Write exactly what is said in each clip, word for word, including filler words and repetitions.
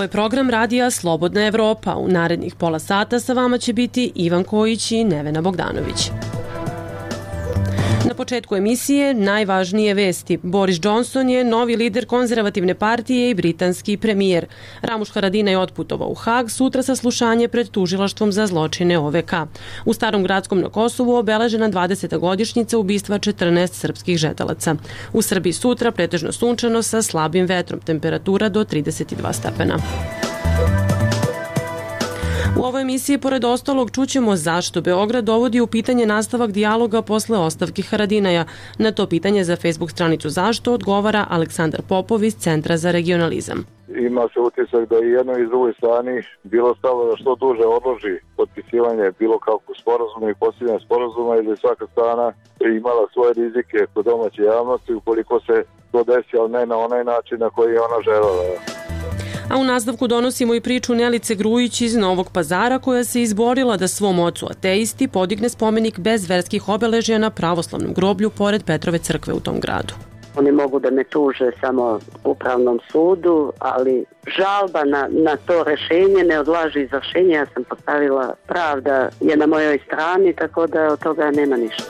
Ovo je program radija Slobodna Evropa. U narednih pola sata sa vama će biti Ivan Kojić i Nevena Bogdanović. Na početku emisije najvažnije vesti. Boris Johnson je novi lider konzervativne partije i britanski premijer. Ramuš Haradinaj otputovao u Hag, sutra saslušanje pred tužilaštvom za zločine O V K. U Starom Gradskom na Kosovu obeležena dvadeseta godišnjica ubistva četrnaest srpskih žetelaca. U Srbiji sutra pretežno sunčano sa slabim vetrom, temperatura do trideset dva stepena. U ovoj emisiji, pored ostalog, čućemo zašto Beograd dovodi u pitanje nastavak dijaloga posle ostavke Haradinaja. Na to pitanje za Facebook stranicu Zašto odgovara Aleksandar Popov iz Centra za regionalizam. Ima se utisak da i jednoj i drugoj strani bilo stalo da što duže odloži potpisivanje bilo kakvog sporazuma i posljednja sporazuma, ili svaka strana imala svoje rizike kod domaće javnosti ukoliko se to desi, ali ne na onaj način na koji je ona želela. A u nastavku donosimo i priču Nelice Grujić iz Novog Pazara, koja se izborila da svom ocu ateisti podigne spomenik bez verskih obeležja na pravoslavnom groblju pored Petrove crkve u tom gradu. Oni mogu da me tuže samo u upravnom sudu, ali žalba na, na to rešenje ne odlaži izvršenje. Ja sam postavila, pravda je na mojoj strani, tako da od toga nema ništa.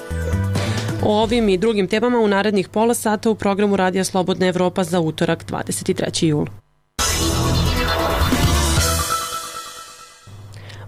O ovim i drugim temama u narednih pola sata u programu Radija Slobodna Evropa za utorak dvadeset treći jul.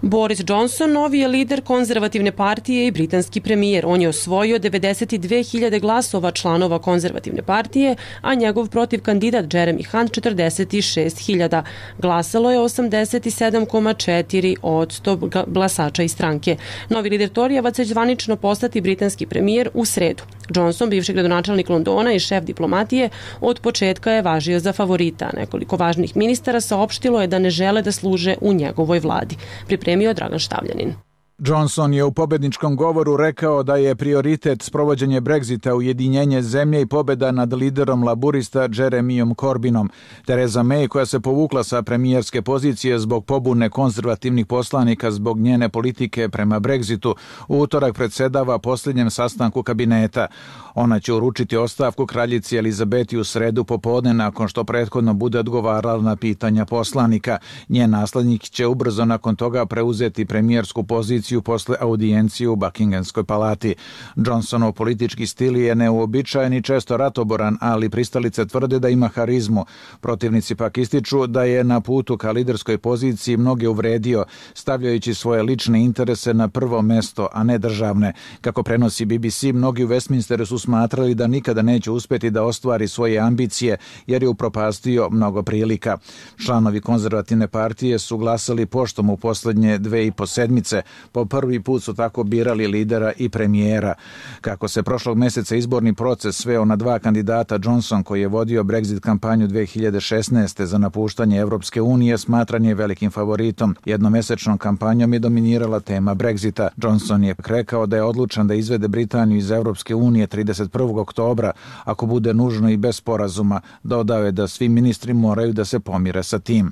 Boris Johnson novi je lider konzervativne partije i britanski premijer. On je osvojio devedeset dve hiljade glasova članova konzervativne partije, a njegov protiv kandidat Jeremy Hunt četrdeset šest hiljada. Glasalo je osamdeset sedam zarez četiri posto glasača iz stranke. Novi lider Torijeva će zvanično postati britanski premijer u sredu. Johnson, bivši gradonačelnik Londona i šef diplomatije, od početka je važio za favorita. Nekoliko važnih ministara saopštilo je da ne žele da služe u njegovoj vladi. Pripremio Dragan Štavljanin. Johnson je u pobedničkom govoru rekao da je prioritet sprovođenje Brexita, ujedinjenje zemlje i pobeda nad liderom laburista Jeremyom Corbynom. Theresa May, koja se povukla sa premijerske pozicije zbog pobune konzervativnih poslanika zbog njene politike prema Brexitu, u utorak predsedava posljednjem sastanku kabineta. Ona će uručiti ostavku kraljici Elizabeti u sredu popodne nakon što prethodno bude odgovarala na pitanja poslanika. Njen naslednik će ubrzo nakon toga preuzeti premijersku poziciju posle audijencije u Buckinghamskoj palati. Johnsonov politički stil je neuobičajen i često ratoboran, ali pristalice tvrde da ima harizmu. Protivnici pak ističu da je na putu ka liderskoj poziciji mnoge uvredio, stavljajući svoje lične interese na prvo mesto, a ne državne. Kako prenosi B B C, mnogi u Westminsteru su smatrali da nikada neće uspjeti da ostvari svoje ambicije, jer je upropastio mnogo prilika. Članovi konzervativne partije su glasali poštom u posljednje dve i po sedmice. Po prvi put su tako birali lidera i premijera. Kako se prošlog mjeseca izborni proces sveo na dva kandidata, Johnson, koji je vodio Brexit kampanju dve hiljade šesnaeste za napuštanje Evropske unije, smatran je velikim favoritom. Jednomesečnom kampanjom je dominirala tema Brexita. Johnson je rekao da je odlučan da izvede Britaniju iz Evropske unije trideset prvog oktobra, ako bude nužno i bez sporazuma. Dodao je da svi ministri moraju da se pomire sa tim.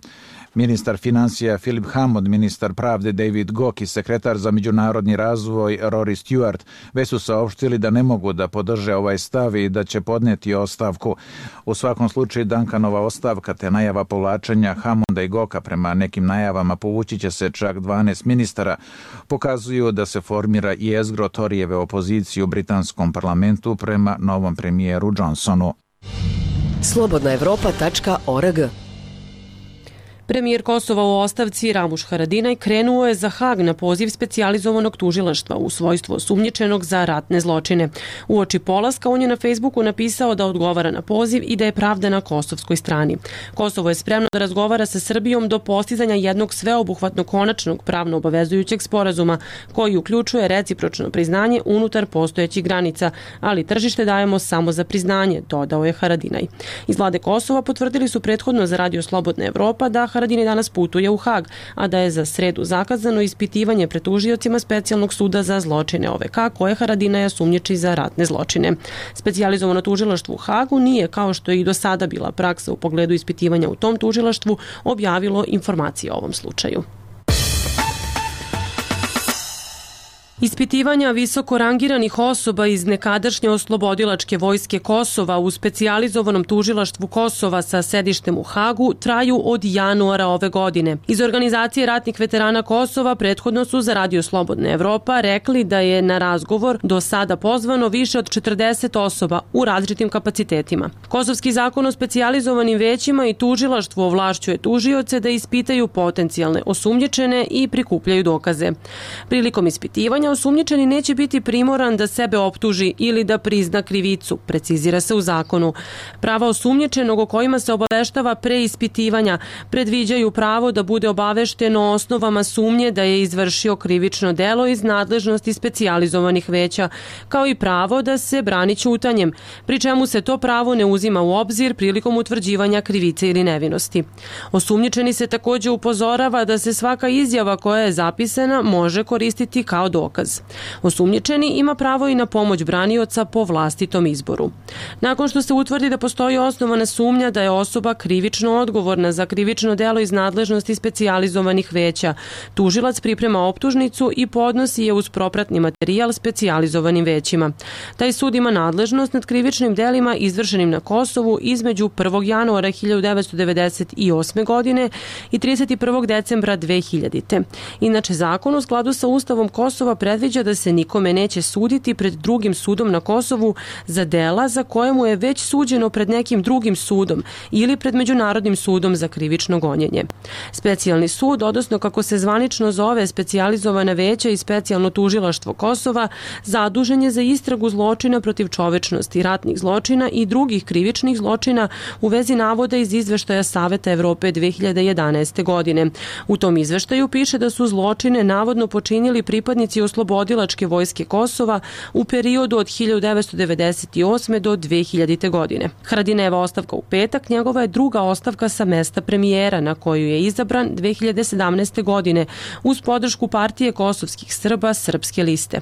Ministar financija Philip Hammond, ministar pravde David Gauke i sekretar za međunarodni razvoj Rory Stewart već su saopštili da ne mogu da podrže ovaj stav i da će podneti ostavku. U svakom slučaju Duncanova ostavka te najava povlačenja Hammonda i Gauka, prema nekim najavama povući će se čak dvanaest ministara, pokazuju da se formira jezgro Torijeve opozicije u britanskom parlamentu prema novom premijeru Johnsonu. slobodna evropa tačka org. Premijer Kosova u ostavci Ramuš Haradinaj krenuo je za Hag na poziv specijalizovanog tužilaštva u svojstvu osumnjičenog za ratne zločine. Uoči polaska on je na Facebooku napisao da odgovara na poziv i da je pravda na kosovskoj strani. Kosovo je spremno da razgovara sa Srbijom do postizanja jednog sveobuhvatno konačnog pravno obavezujućeg sporazuma koji uključuje recipročno priznanje unutar postojećih granica, ali tržište dajemo samo za priznanje, dodao je Haradinaj. Iz vlade Kosova potvrdili su prethodno za Radio Slobodna Evropa da Haradinaj danas putuje u Hag, a da je za sredu zakazano ispitivanje pred tužiocima Specijalnog suda za zločine O V K, koje Haradinaja sumnjiči za ratne zločine. Specijalizovano tužilaštvo u Hagu nije, kao što je i do sada bila praksa u pogledu ispitivanja u tom tužilaštvu, objavilo informacije o ovom slučaju. Ispitivanja visoko rangiranih osoba iz nekadašnje oslobodilačke vojske Kosova u specijalizovanom tužilaštvu Kosova sa sedištem u Hagu traju od januara ove godine. Iz organizacije ratnih veterana Kosova prethodno su za Radio Slobodna Evropa rekli da je na razgovor do sada pozvano više od četrdeset osoba u različitim kapacitetima. Kosovski zakon o specijalizovanim većima i tužilaštvu ovlašćuje tužioce da ispitaju potencijalne osumnjičene i prikupljaju dokaze. Prilikom ispitivanja osumnjičeni neće biti primoran da sebe optuži ili da prizna krivicu, precizira se u zakonu. Prava osumnjičenog o kojima se obaveštava pre ispitivanja predviđaju pravo da bude obavešten o osnovama sumnje da je izvršio krivično delo iz nadležnosti specijalizovanih veća, kao i pravo da se brani ćutanjem, pri čemu se to pravo ne uzima u obzir prilikom utvrđivanja krivice ili nevinosti. Osumnjičeni se takođe upozorava da se svaka izjava koja je zapisana može koristiti kao dokaz. Osumnjičeni ima pravo i na pomoć branioca po vlastitom izboru. Nakon što se utvrdi da postoji osnovana sumnja da je osoba krivično odgovorna za krivično delo iz nadležnosti specijalizovanih veća, tužilac priprema optužnicu i podnosi je uz propratni materijal specijalizovanim većima. Taj sud ima nadležnost nad krivičnim delima izvršenim na Kosovu između prvog januara hiljadu devetsto devedeset osme. godine i trideset prvog decembra dve hiljadite. Inače, zakon u skladu sa Ustavom Kosova predviđa da se nikome neće suditi pred drugim sudom na Kosovu za dela za koje mu je već suđeno pred nekim drugim sudom ili pred Međunarodnim sudom za krivično gonjenje. Specijalni sud, odnosno kako se zvanično zove specijalizovana veća i specijalno tužilaštvo Kosova, zadužen je za istragu zločina protiv čovečnosti, ratnih zločina i drugih krivičnih zločina u vezi navoda iz izveštaja Saveta Evrope dve hiljade jedanaeste. godine. U tom izveštaju piše da su zločine navodno počinili pripadnici oslobodilačke vojske Kosova u periodu od hiljadu devetsto devedeset osme. do dve hiljadite. godine. Haradinajeva ostavka u petak njegova je druga ostavka sa mesta premijera na koju je izabran dve hiljade sedamnaeste. godine uz podršku partije kosovskih Srba Srpske liste.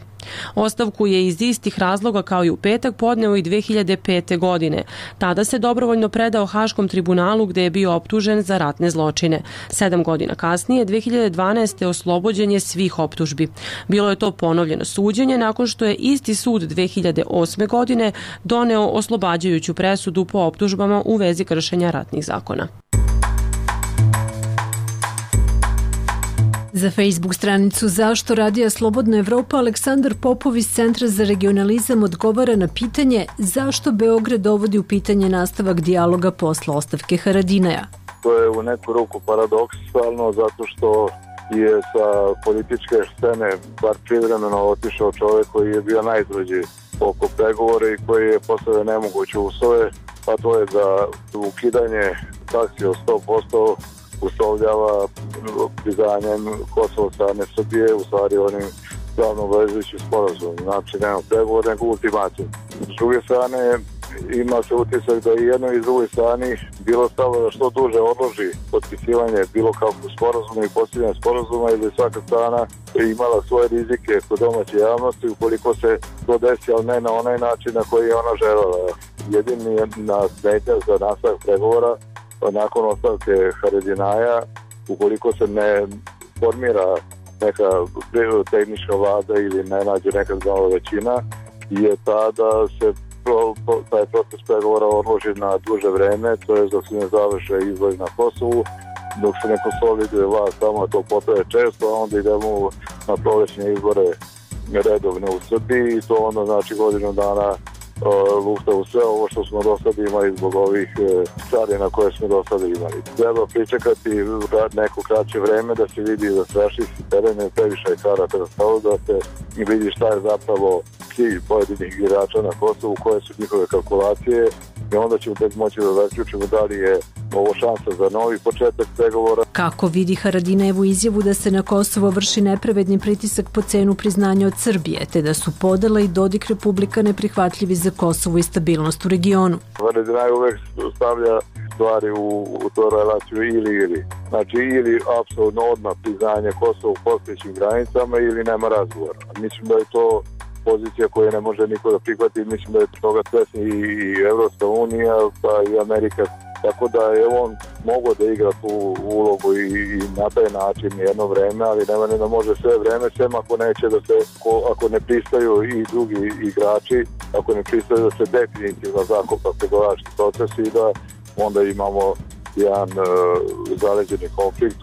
Ostavku je iz istih razloga kao i u petak podneo i dve hiljade pete. godine. Tada se dobrovoljno predao Haškom tribunalu gde je bio optužen za ratne zločine. Sedam godina kasnije, dve hiljade dvanaeste. oslobođen je svih optužbi. Bilo je to ponovljeno suđenje nakon što je isti sud dve hiljade osme. godine doneo oslobađajuću presudu po optužbama u vezi kršenja ratnih zakona. Za Facebook stranicu Zašto Radija Slobodna Evropa Aleksandar Popov iz Centra za regionalizam odgovara na pitanje zašto Beograd dovodi u pitanje nastavak dijaloga posle ostavke Haradinaja. To je u neku ruku paradoksalno zato što je sa političke scene bar privremeno otišao čovjek koji je bio najizvođi oko pregovora i koji je postavio nemoguće uslove, a to je da ukidanje taksi od sto posto uslovljava priznanjem Kosova strane Srbije, u stvari onim glavno obvezujućim sporazumom. Znači, nema pregovor, nego ultimatum. S druge strane, ima se utisak da i jednoj i drugoj strani bilo stalo da što duže odloži potpisivanje bilo kakvog sporazuma i postavljanje sporazuma i da svaka strana imala svoje rizike kod domaće javnosti ukoliko se to desi, ali ne na onaj način na koji je ona želela. Jedini je na smetnja za nastavak pregovora nakon ostavke Haradinaja, ukoliko se ne formira neka tehnička vlada ili ne nađe neka zdrava većina, je ta da se pro, taj proces pregovora odloži na duže vreme, to je dok se ne završe izbori na Kosovu, dok se ne konsoliduje vlast tamo, to potraje često, a onda idemo na prolećne izbore redovne u Srbiji i to onda znači godinu dana lufta u sve ovo što smo do sada imali zbog ovih carina koje smo do sada imali. Treba pričekati neko kraće vreme da se vidi da straši si terene, previše je karata da stalo, da se vidi šta je zapravo cilj pojedinih igrača na Kosovu, koje su njihove kalkulacije i onda ćemo tek moći da zaključimo da li je ovo šansa za novi početak pregovora. Kako vidi Haradinajevu izjavu da se na Kosovo vrši nepravedni pritisak po cenu priznanja od Srbije, te da su podela i Dodik Republika neprihvatljivi za Kosovo i stabilnost u regionu? Haradinaj uvek stavlja stvari u, u to relaciju ili ili. Znači ili apsolutno odmah priznanje Kosova u postojećim granicama ili nema razgovora. Mislim da je to pozicija koju ne može niko da prihvati, mislim da je toga svesni i Evropska unija pa i Amerika. Tako da je on mogao da igra tu ulogu i, i na taj način jedno vreme, ali nema ne da može sve vreme, sem ako neće da se, ako ne pristaju i drugi igrači, ako ne pristaju da se definitivno zakopa pregovarački proces i da onda imamo jedan uh, zaleđeni konflikt.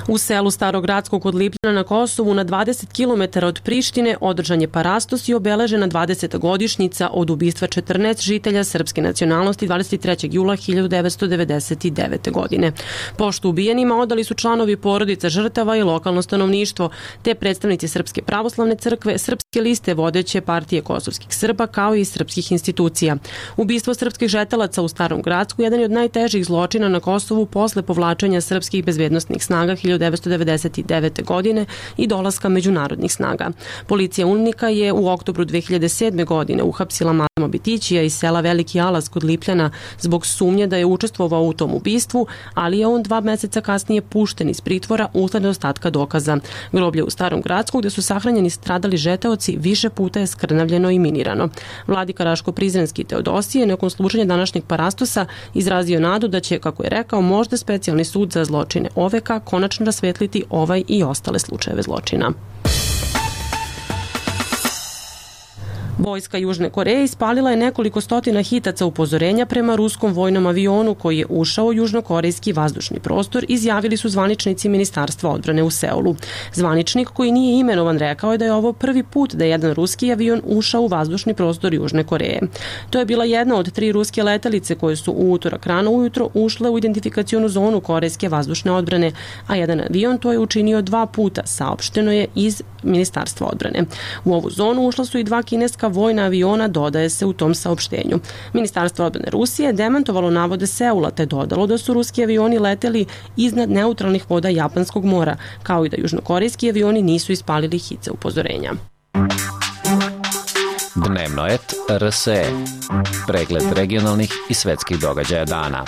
U selu Starogradskog kod Lipljana na Kosovu na dvadeset kilometara od Prištine održan je parastos i obeležena dvadeseta godišnjica od ubistva četrnaest žitelja srpske nacionalnosti dvadeset trećeg jula hiljadu devetsto devedeset devete. godine. Poštu ubijenima odali su članovi porodica žrtava i lokalno stanovništvo, te predstavnici Srpske pravoslavne crkve, Srpske liste vodeće partije kosovskih Srba, kao i srpskih institucija. Ubistvo srpskih žetelaca u Starom Gradsku jedan je od najtežih zločina na Kosovu posle povlačenja srpskih bezbednosnih snaga hiljadu devetsto devedeset devete. godine i dolaska međunarodnih snaga. Policija Unika je u oktobru dve hiljade sedme. godine uhapsila Malema Bitićija iz sela Veliki Alas kod Lipljana zbog sumnje da je učestvovao u tom ubistvu, ali je on dva meseca kasnije pušten iz pritvora usled nedostatka dokaza. Groblje u Starom Gradsku, gde su sahranjeni stradali žeteoci, više puta je skrnavljeno i minirano. Vladika Raško-Prizrenski Teodosije nakon služenja današnjeg parastosa izrazio nadu da će, kako je rekao, možda specijalni sud za zločine O V K konačno rasvetliti ovaj i ostale slučajeve zločina. Vojska Južne Koreje ispalila je nekoliko stotina hitaca upozorenja prema ruskom vojnom avionu koji je ušao u južnokorejski vazdušni prostor, izjavili su zvaničnici Ministarstva odbrane u Seulu. Zvaničnik koji nije imenovan rekao je da je ovo prvi put da je jedan ruski avion ušao u vazdušni prostor Južne Koreje. To je bila jedna od tri ruske letelice koje su u utorak rano ujutro ušle u identifikacionu zonu korejske vazdušne odbrane, a jedan avion to je učinio dva puta, saopšteno je iz Ministarstva odbrane. U ovu zonu ušla su i dva kineska vojna aviona, dodaje se u tom saopštenju. Ministarstvo odbrane Rusije demantovalo navode Seula te dodalo da su ruski avioni leteli iznad neutralnih voda Japanskog mora, kao i da južnokorejski avioni nisu ispalili hice upozorenja. Dnevno et R S E. Pregled regionalnih i svetskih događaja dana.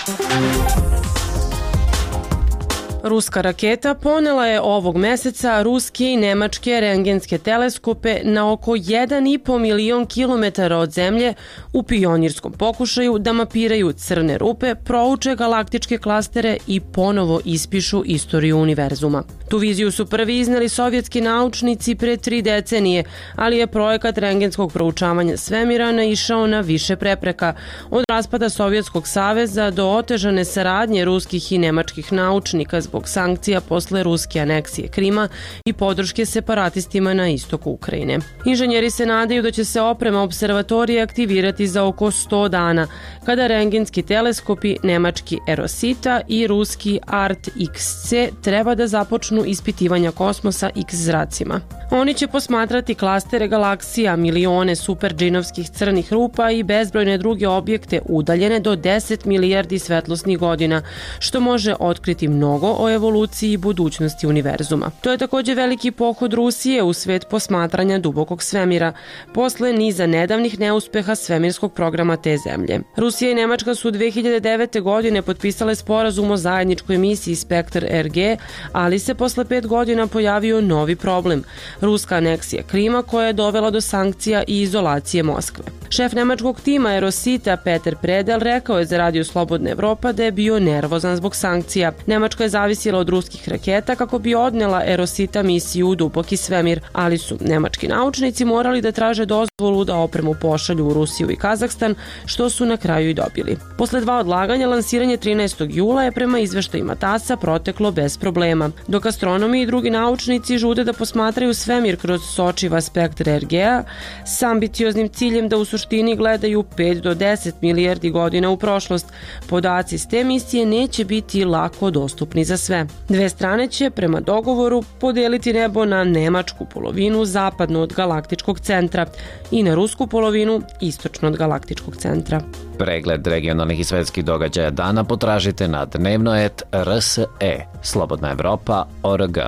Ruska raketa ponela je ovog meseca ruske i nemačke rentgenske teleskope na oko jedan i po milion kilometara od zemlje u pionirskom pokušaju da mapiraju crne rupe, prouče galaktičke klastere i ponovo ispišu istoriju univerzuma. Tu viziju su prvi izneli sovjetski naučnici pre tri decenije, ali je projekat rentgenskog proučavanja svemira naišao na više prepreka, od raspada Sovjetskog saveza do otežane saradnje ruskih i nemačkih naučnika zbog sankcija posle ruske aneksije Krima i podrške separatistima na istoku Ukrajine. Inženjeri se nadaju da će se oprema observatorije aktivirati za oko sto dana, kada rentgenski teleskopi nemački Erosita i ruski Art X C treba da započnu ispitivanja kosmosa X zracima. Oni će posmatrati klastere galaksija, milione superdžinovskih crnih rupa i bezbrojne druge objekte udaljene do deset milijardi svetlosnih godina, što može otkriti mnogo o evoluciji i budućnosti univerzuma. To je takođe veliki pohod Rusije u svet posmatranja dubokog svemira, posle niza nedavnih neuspeha svemirskog programa te zemlje. Rusija i Nemačka su dve hiljade devete. godine potpisale sporazum o zajedničkoj misiji Spektar R G, ali se posle pet godina pojavio novi problem – ruska aneksija Krima koja je dovela do sankcija i izolacije Moskve. Šef nemačkog tima Erosita Peter Predel rekao je za Radio Slobodna Evropa da je bio nervozan zbog sankcija. Nemačka je zavisila od ruskih raketa kako bi odnela Erosita misiju u duboki svemir, ali su nemački naučnici morali da traže dozvolu da opremu pošalju u Rusiju i Kazahstan, što su na kraju i dobili. Posle dva odlaganja, lansiranje trinaestog jula je prema izveštajima TASS-a proteklo bez problema. Dok astronomi i drugi naučnici žude da posmatraju svemir kroz sočiva spektra R G-a s ambicioznim ciljem da u suštini gledaju pet do deset milijardi godina u prošlost, podaci s te misije neće biti lako dostupni za sve. Dve strane će, prema dogovoru, podeliti nebo na nemačku polovinu zapadno od galaktičkog centra i na rusku polovinu istočno od galaktičkog centra. Pregled regionalnih i svetskih događaja dana potražite na dnevno et R S E. Slobodna Evropa O R G.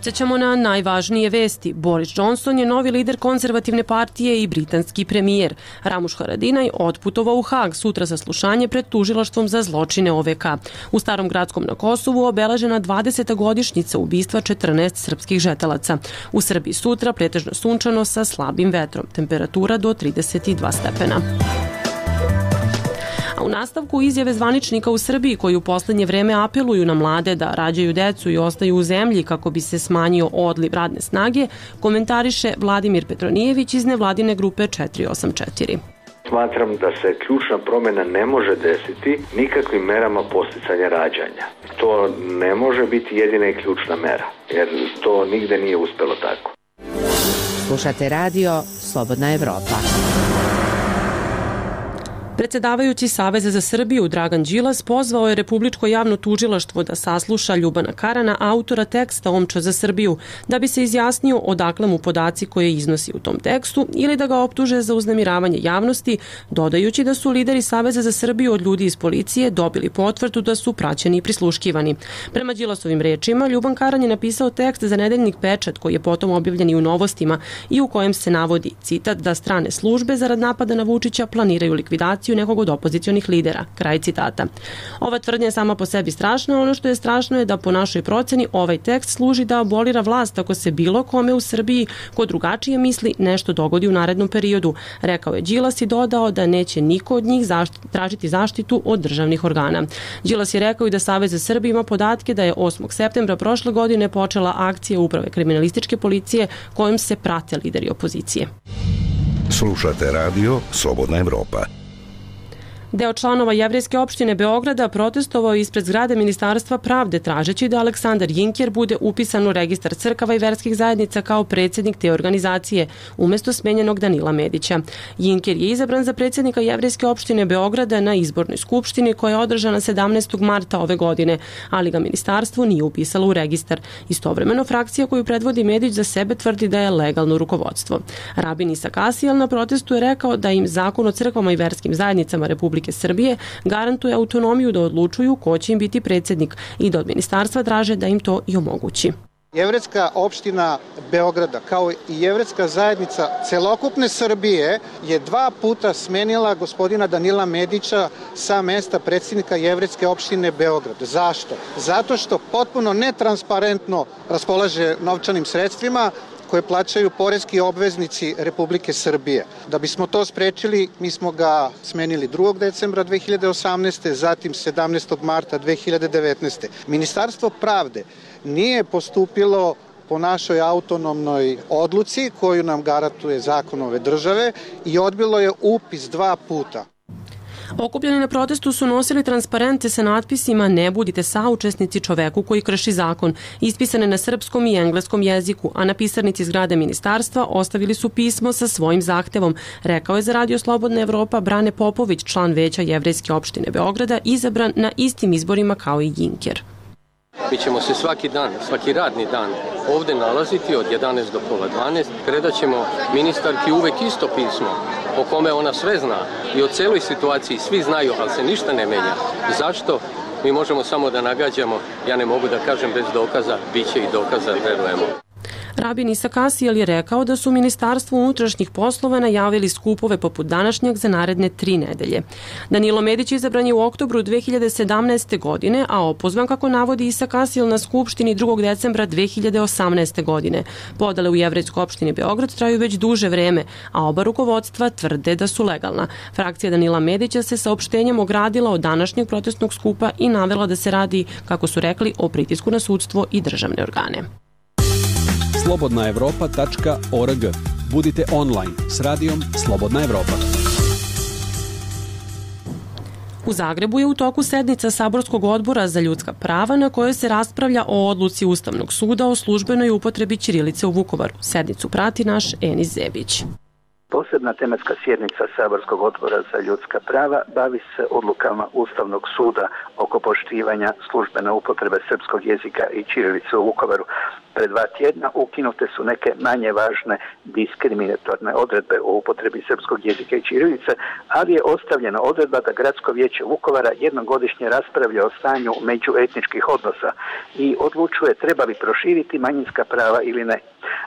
Podsjećamo na najvažnije vesti. Boris Johnson je novi lider konzervativne partije i britanski premijer. Ramuš Haradinaj otputovao u Hag, sutra saslušanje pred tužilaštvom za zločine O V K. U Starom Gradskom na Kosovu obeležena dvadeseta godišnjica ubistva četrnaest srpskih žetelaca. U Srbiji sutra pretežno sunčano sa slabim vetrom. Temperatura do trideset dva stepena. A u nastavku izjave zvaničnika u Srbiji koji u poslednje vreme apeluju na mlade da rađaju decu i ostaju u zemlji kako bi se smanjio odliv radne snage, komentariše Vladimir Petronijević iz nevladine grupe četiri osam četiri. Smatram da se ključna promjena ne može desiti nikakvim merama podsticanja rađanja. To ne može biti jedina i ključna mera, jer to nigde nije uspelo tako. Slušate radio Slobodna Evropa. Predsedavajući Saveza za Srbiju Dragan Đilas pozvao je Republičko javno tužilaštvo da sasluša Ljubana Karana, autora teksta Omča za Srbiju, da bi se izjasnio odakle mu podaci koje iznosi u tom tekstu ili da ga optuže za uznemiravanje javnosti, dodajući da su lideri Saveza za Srbiju od ljudi iz policije dobili potvrdu da su praćeni i prisluškivani. Prema Đilasovim rečima, Ljuban Karan je napisao tekst za nedeljnik Pečat koji je potom objavljen i u Novostima i u kojem se navodi, citat, da strane službe zarad napada na Vučića planiraju likvidaciju nekog od opozicionih lidera. Kraj citata. Ova tvrdnja je sama po sebi strašna, ono što je strašno je da po našoj proceni ovaj tekst služi da abolira vlast ako se bilo kome u Srbiji ko drugačije misli nešto dogodi u narednom periodu. Rekao je Đilas i dodao da neće niko od njih zašti, tražiti zaštitu od državnih organa. Đilas je rekao i da Savez za Srbiju ima podatke da je osmog septembra prošle godine počela akcija Uprave kriminalističke policije kojom se prate lideri opozicije. Slušate radio Slobodna Evropa. Deo članova Jevrejske opštine Beograda protestovao ispred zgrade Ministarstva pravde tražeći da Aleksandar Jinker bude upisan u registar crkava i verskih zajednica kao predsjednik te organizacije, umesto smenjenog Danila Medića. Jinker je izabran za predsjednika Jevrejske opštine Beograda na izbornoj skupštini koja je održana sedamnaestog marta ove godine, ali ga ministarstvo nije upisalo u registar. Istovremeno, frakcija koju predvodi Medić za sebe tvrdi da je legalno rukovodstvo. Rabin Isak Asijel na protestu je rekao da im Zakon o crkvama i verskim zajednicama Republike Srbije garantuje autonomiju da odlučuju ko će im biti predsjednik i da od ministarstva traže da im to i omogući. Jevrejska opština Beograda kao i jevrejska zajednica celokupne Srbije je dva puta smenila gospodina Danila Medića sa mesta predsjednika Jevrejske opštine Beograd. Zašto? Zato što potpuno netransparentno raspolaže novčanim sredstvima koje plaćaju poreski obveznici Republike Srbije. Da bismo to sprečili, mi smo ga smenili drugog decembra dve hiljade osamnaeste. zatim sedamnaestog marta dve hiljade devetnaeste. Ministarstvo pravde nije postupilo po našoj autonomnoj odluci koju nam garantuje zakon ove države i odbilo je upis dva puta. Okupljeni na protestu su nosili transparente sa natpisima "Ne budite saučesnici čoveku koji krši zakon", ispisane na srpskom i engleskom jeziku, a na pisarnici zgrade ministarstva ostavili su pismo sa svojim zahtevom, rekao je za Radio Slobodna Evropa Brane Popović, član veća Jevrejske opštine Beograda, izabran na istim izborima kao i Jinker. Mi ćemo se svaki dan, svaki radni dan ovde nalaziti od jedanaest do pola dvanaest. Predat ćemo ministarki uvek isto pismo o kome ona sve zna i o celoj situaciji svi znaju, ali se ništa ne menja. Zašto? Mi možemo samo da nagađamo, ja ne mogu da kažem bez dokaza, bit će i dokaza, verujemo. Rabin Isak Asijel je rekao da su Ministarstvu unutrašnjih poslova najavili skupove poput današnjeg za naredne tri nedelje. Danilo Medić izabran je u oktobru dve hiljade sedamnaeste. godine, a opozvan, kako navodi Isak Asijel, na skupštini drugog decembra dve hiljade osamnaeste. godine. Podale u Jevrejskoj opštini Beograd traju već duže vreme, a oba rukovodstva tvrde da su legalna. Frakcija Danila Medića se saopštenjem ogradila od današnjeg protestnog skupa i navela da se radi, kako su rekli, o pritisku na sudstvo i državne organe. slobodna evropa tačka org. Budite online s radijom Slobodna Evropa. U Zagrebu je u toku sednica Saborskog odbora za ljudska prava na kojoj se raspravlja o odluci Ustavnog suda o službenoj upotrebi ćirilice u Vukovaru. Sednicu prati naš Enis Zebić. Posebna tematska sjednica Saborskog odbora za ljudska prava bavi se odlukama Ustavnog suda oko poštivanja službene upotrebe srpskog jezika i ćirilice u Vukovaru. Pred dva tjedna ukinute su neke manje važne diskriminatorne odredbe o upotrebi srpskog jezika i ćirilice, ali je ostavljena odredba da Gradsko vijeće Vukovara jednom godišnje raspravlja o stanju međuetničkih odnosa i odlučuje treba li proširiti manjinska prava ili ne.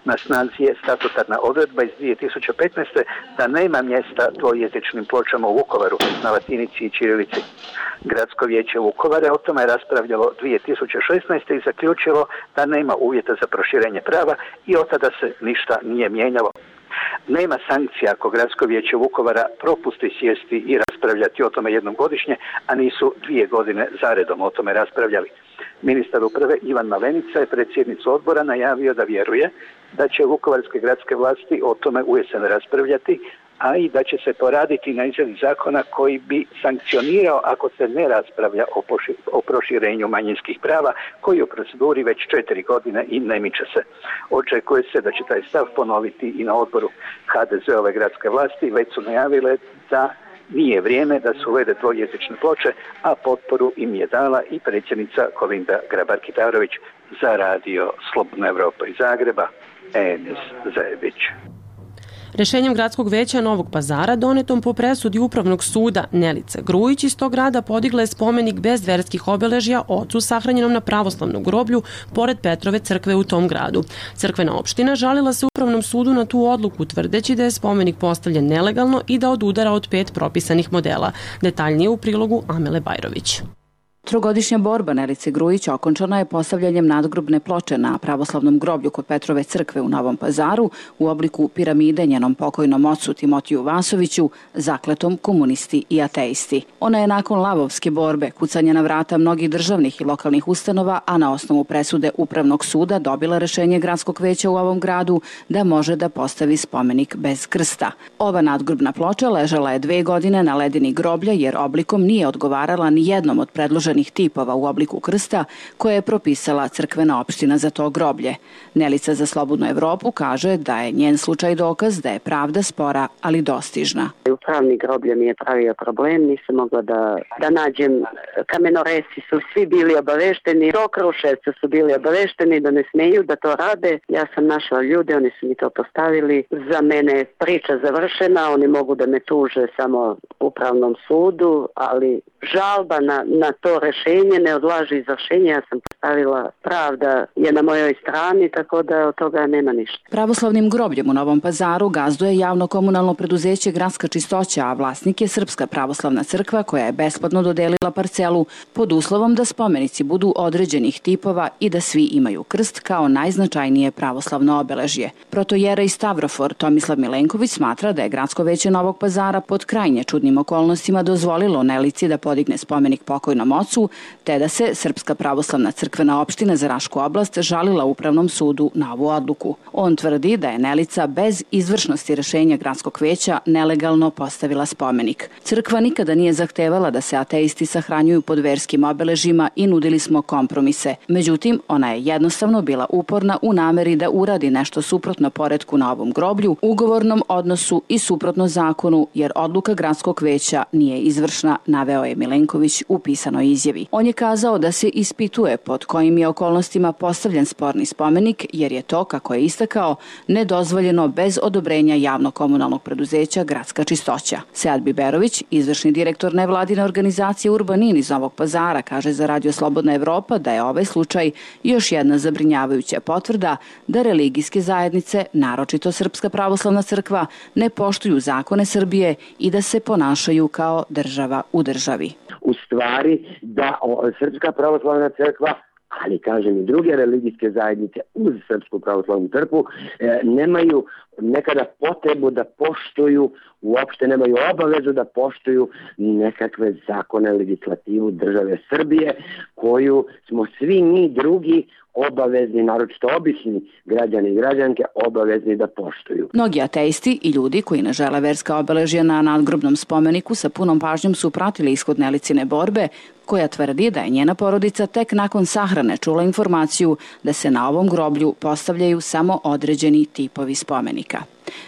Na snazi je statutarna odredba iz dvije tisuće petnaeste. da nema mjesta dvojezičnim pločama u Vukovaru na latinici i ćirilici. Gradsko vijeće Vukovara o tome je raspravljalo dvije tisuće šesnaeste. i zaključilo da nema uvjeta za proširenje prava i od tada se ništa nije mijenjalo. Nema sankcija ako Gradsko vijeće Vukovara propusti sjesti i raspravljati o tome jednom godišnje, a nisu dvije godine zaredom o tome raspravljali. Ministar uprave Ivan Malenica je predsjednicu odbora najavio da vjeruje da će vukovarske gradske vlasti o tome ujesen raspravljati, a i da će se poraditi na izradi zakona koji bi sankcionirao ako se ne raspravlja o, o proširenju manjinskih prava, koji je u proceduri već četiri godine i ne miče se. Očekuje se da će taj stav ponoviti i na odboru. ha de ze-ove gradske vlasti već su najavile da nije vrijeme da se uvede dvojezične ploče, a potporu im je dala i predsjednica Kolinda Grabar-Kitarović. Za radio Slobodna Evropa iz Zagreba, Enis Zajebić. Rešenjem Gradskog veća Novog Pazara, donetom po presudi Upravnog suda, Nelica Grujić iz tog grada podigla je spomenik bez verskih obeležja ocu sahranjenom na pravoslavnom groblju pored Petrove crkve u tom gradu. Crkvena opština žalila se Upravnom sudu na tu odluku, tvrdeći da je spomenik postavljen nelegalno i da odudara od pet propisanih modela. Detaljnije u prilogu Amele Bajrović. Trogodišnja borba Nelice Grujić okončana je postavljanjem nadgrobne ploče na pravoslavnom groblju kod Petrove crkve u Novom Pazaru u obliku piramide njenom pokojnom ocu Timotiju Vasoviću, zakletom komunisti i ateisti. Ona je nakon lavovske borbe, kucanja na vrata mnogih državnih i lokalnih ustanova, a na osnovu presude Upravnog suda dobila rešenje Gradskog veća u ovom gradu da može da postavi spomenik bez krsta. Ova nadgrobna ploča ležala je dve godine na ledini groblja jer oblikom nije odgovarala ni jednom od predloženih tipova u obliku krsta koje je propisala crkvena opština za to groblje. Nelica za Slobodnu Evropu kaže da je njen slučaj dokaz da je pravda spora, ali dostižna. Upravni groblje mi je pravio problem, nisam mogla da, da nađem, kamenoresi su svi bili obavešteni, do Kruševca su bili obavešteni da ne smeju da to rade. Ja sam našla ljude, oni su mi to postavili. Za mene je priča završena, oni mogu da me tuže samo Upravnom sudu, ali žalba na, na to rešenje ne odlaži izvršenje. Ja sam postavila, pravda je na mojoj strani, tako da od toga nema ništa. Pravoslavnim grobljem u Novom Pazaru gazduje javno komunalno preduzeće Gradska čistoća, a vlasnik je Srpska pravoslavna crkva koja je besplatno dodelila parcelu pod uslovom da spomenici budu određenih tipova i da svi imaju krst kao najznačajnije pravoslavno obeležje. Protojerej Stavrofor Tomislav Milenković smatra da je Gradsko veće Novog Pazara pod krajnje čudnim okolnostima dozvolilo Nelici da podigne spomenik pokojnom ocu, te da se Srpska pravoslavna crkvena opština za Rašku oblast žalila Upravnom sudu na ovu odluku. On tvrdi da je Nelica bez izvršnosti rešenja Gradskog veća nelegalno postavila spomenik. Crkva nikada nije zahtevala da se ateisti sahranjuju pod verskim obeležjima i nudili smo kompromise. Međutim, ona je jednostavno bila uporna u nameri da uradi nešto suprotno poretku na ovom groblju, ugovornom odnosu i suprotno zakonu, jer odluka Gradskog veća nije izvršna, naveo je Milenković u pisanoj izjavi. On je kazao da se ispituje pod kojim je okolnostima postavljen sporni spomenik, jer je to, kako je istakao, nedozvoljeno bez odobrenja javno-komunalnog preduzeća Gradska čistoća. Sead Biberović, izvršni direktor nevladine organizacije Urbanin iz Novog Pazara, kaže za radio Slobodna Evropa da je ovaj slučaj još jedna zabrinjavajuća potvrda da religijske zajednice, naročito Srpska pravoslavna crkva, ne poštuju zakone Srbije i da se ponašaju kao država u državi. U stvari da o, Srpska pravoslavna crkva, ali kažem i druge religijske zajednice uz Srpsku pravoslavnu crkvu, e, nemaju nekada potrebu da poštuju, uopšte nemaju obavezu da poštuju nekakve zakone, legislativu države Srbije, koju smo svi mi drugi obavezni, naročito obični građani i građanke, obavezni da poštuju. Mnogi ateisti i ljudi koji ne žele verska obeležja na nadgrobnom spomeniku sa punom pažnjom su pratili ishod Nelicine borbe, koja tvrdi da je njena porodica tek nakon sahrane čula informaciju da se na ovom groblju postavljaju samo određeni tipovi spomenika. radnika.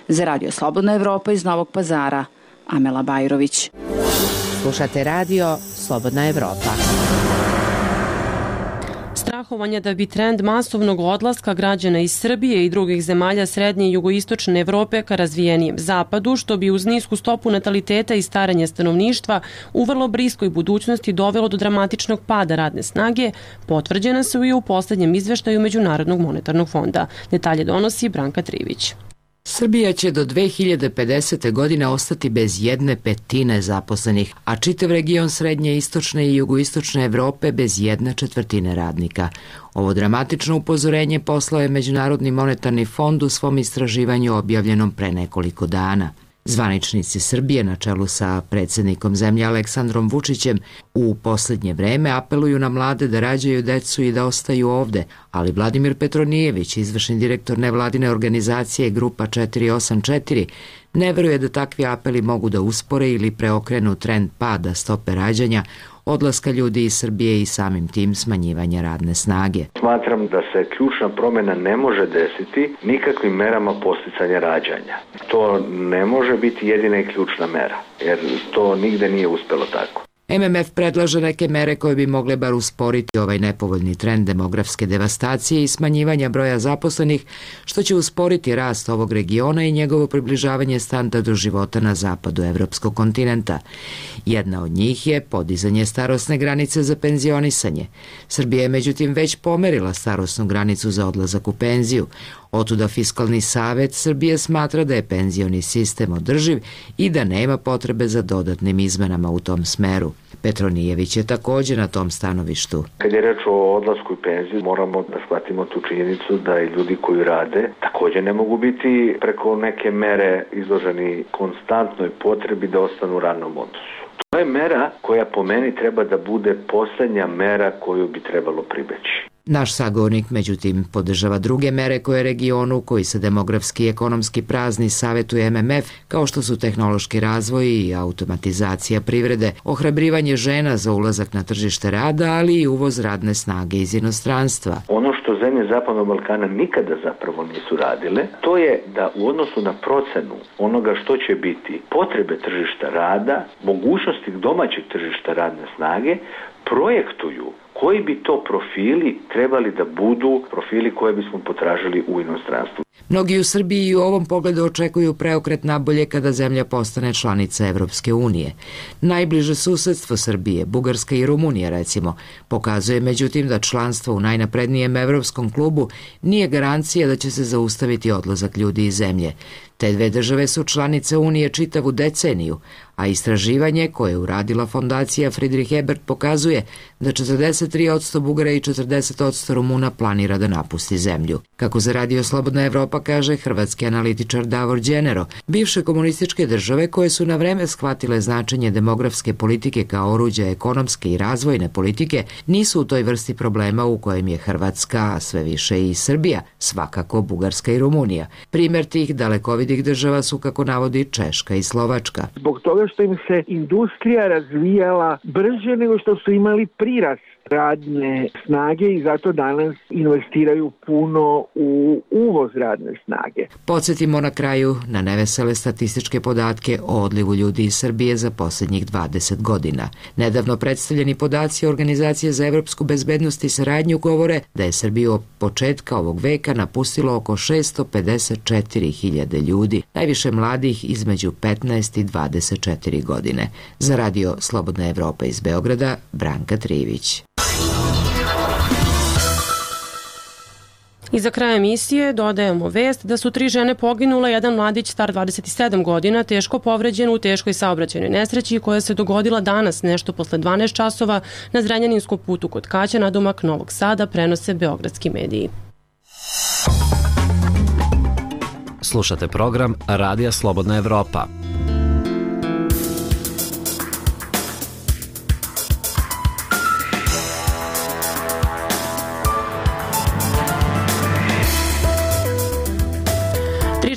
Za Radio Slobodna Evropa iz Novog Pazara, Amela Bajrović. Slušate radio Slobodna Evropa. Strahovanje da bi trend masovnog odlaska građana iz Srbije i drugih zemalja srednje i jugoistočne Evrope ka razvijenijem zapadu, što bi uz nisku stopu nataliteta i staranja stanovništva u vrlo bliskoj budućnosti dovelo do dramatičnog pada radne snage, potvrđena su i u poslednjem izveštaju Međunarodnog monetarnog fonda. Detalje donosi Branka Trivić. Srbija će do dve hiljade pedesete. godine ostati bez jedne petine zaposlenih, a čitav region srednje, istočne i jugoistočne Evrope bez jedne četvrtine radnika. Ovo dramatično upozorenje poslao je Međunarodni monetarni fond u svom istraživanju objavljenom pre nekoliko dana. Zvaničnici Srbije na čelu sa predsjednikom zemlje Aleksandrom Vučićem u posljednje vreme apeluju na mlade da rađaju decu i da ostaju ovde, ali Vladimir Petronijević, izvršni direktor nevladine organizacije Grupa četiri osam četiri, ne veruje da takvi apeli mogu da uspore ili preokrenu trend pada stope rađanja, odlaska ljudi iz Srbije i samim tim smanjivanja radne snage. Smatram da se ključna promjena ne može desiti nikakvim merama posticanja rađanja. To ne može biti jedina i ključna mera, jer to nigde nije uspelo tako. M M F predlaže neke mere koje bi mogle bar usporiti ovaj nepovoljni trend demografske devastacije i smanjivanja broja zaposlenih, što će usporiti rast ovog regiona i njegovo približavanje standardu života na zapadu evropskog kontinenta. Jedna od njih je podizanje starosne granice za penzionisanje. Srbija je međutim već pomerila starosnu granicu za odlazak u penziju. Otuda Fiskalni savet Srbije smatra da je penzioni sistem održiv i da nema potrebe za dodatnim izmenama u tom smeru. Petronijević je također na tom stanovištu. Kad je reč o odlasku i penziju, moramo da shvatimo tu činjenicu da i ljudi koji rade također ne mogu biti preko neke mere izloženi konstantnoj potrebi da ostanu u radnom odnosu. To je mera koja po meni treba da bude posljednja mera koju bi trebalo pribeći. Naš sagovornik, međutim, podržava druge mere koje regionu, koji se demografski i ekonomski prazni, savjetuje M M F, kao što su tehnološki razvoj i automatizacija privrede, ohrabrivanje žena za ulazak na tržište rada, ali i uvoz radne snage iz inostranstva. Ono što zemlje Zapadnog Balkana nikada zapravo nisu radile, to je da u odnosu na procenu onoga što će biti potrebe tržišta rada, mogućnosti domaćeg tržišta radne snage, projektuju koji bi to profili trebali da budu profili koje bismo potražili u inostranstvu. Mnogi u Srbiji i u ovom pogledu očekuju preokret nabolje kada zemlja postane članica Evropske unije. Najbliže susedstvo Srbije, Bugarska i Rumunija recimo, pokazuje međutim da članstvo u najnaprednijem evropskom klubu nije garancija da će se zaustaviti odlazak ljudi iz zemlje. Te dve države su članice Unije čitavu deceniju, a istraživanje koje je uradila fondacija Friedrich Ebert pokazuje da četrdeset tri posto Bugara i četrdeset posto Rumuna planira da napusti zemlju. Kako za Radio Slobodna Evropa kaže hrvatski analitičar Davor Đenero, bivše komunističke države koje su na vreme shvatile značenje demografske politike kao oruđa ekonomske i razvojne politike nisu u toj vrsti problema u kojem je Hrvatska, a sve više i Srbija, svakako Bugarska i Rumunija. Primjer tih dalekovidih država su, kako navodi, Češka i Slovačka. Zbog toga što im se industrija razvijala brže nego što su imali prirast radne snage i zato danas investiraju puno u uvoz radne snage. Podsjetimo na kraju na nevesele statističke podatke o odlivu ljudi iz Srbije za posljednjih dvadeset godina. Nedavno predstavljeni podaci Organizacije za evropsku bezbednost i saradnju govore da je Srbiju od početka ovog veka napustilo oko šesto pedeset četiri hiljade ljudi, najviše mladih između petnaest i dvadeset četiri godine. Za Radio Slobodna Evropa iz Beograda, Branka Trivić. I za kraj emisije dodajemo vest da su tri žene poginule, jedan mladić star dvadeset sedam godina teško povređen u teškoj saobraćajnoj nesreći koja se dogodila danas nešto posle dvanaest časova na Zrenjaninskom putu kod Kaća nadomak Novog Sada, prenose beogradski mediji. Slušate program Radija Slobodna Evropa.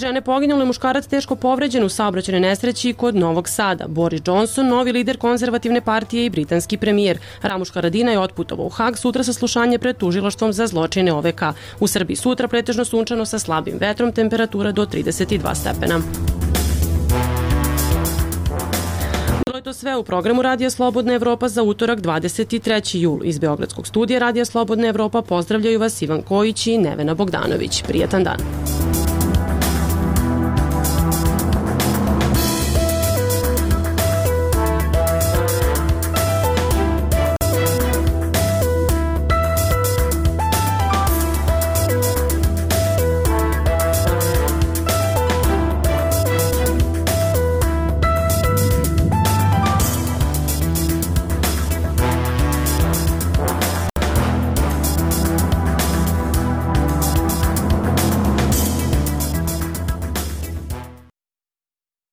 Žene poginuli muškarac teško povređen u saobraćajnoj nesreći kod Novog Sada. Boris Johnson, novi lider konzervativne partije i britanski premijer. Ramuš Haradinaj otputovao u Hag, sutra saslušanje pred tužilaštvom za zločine O V K. U Srbiji sutra pretežno sunčano sa slabim vetrom, temperatura do trideset dva stepena. Bilo je to sve u programu Radija Slobodna Evropa za utorak dvadeset treći jul. Iz Beogradskog studija Radija Slobodna Evropa pozdravljaju vas Ivan Kojić i Nevena Bogdanović. Prijetan dan.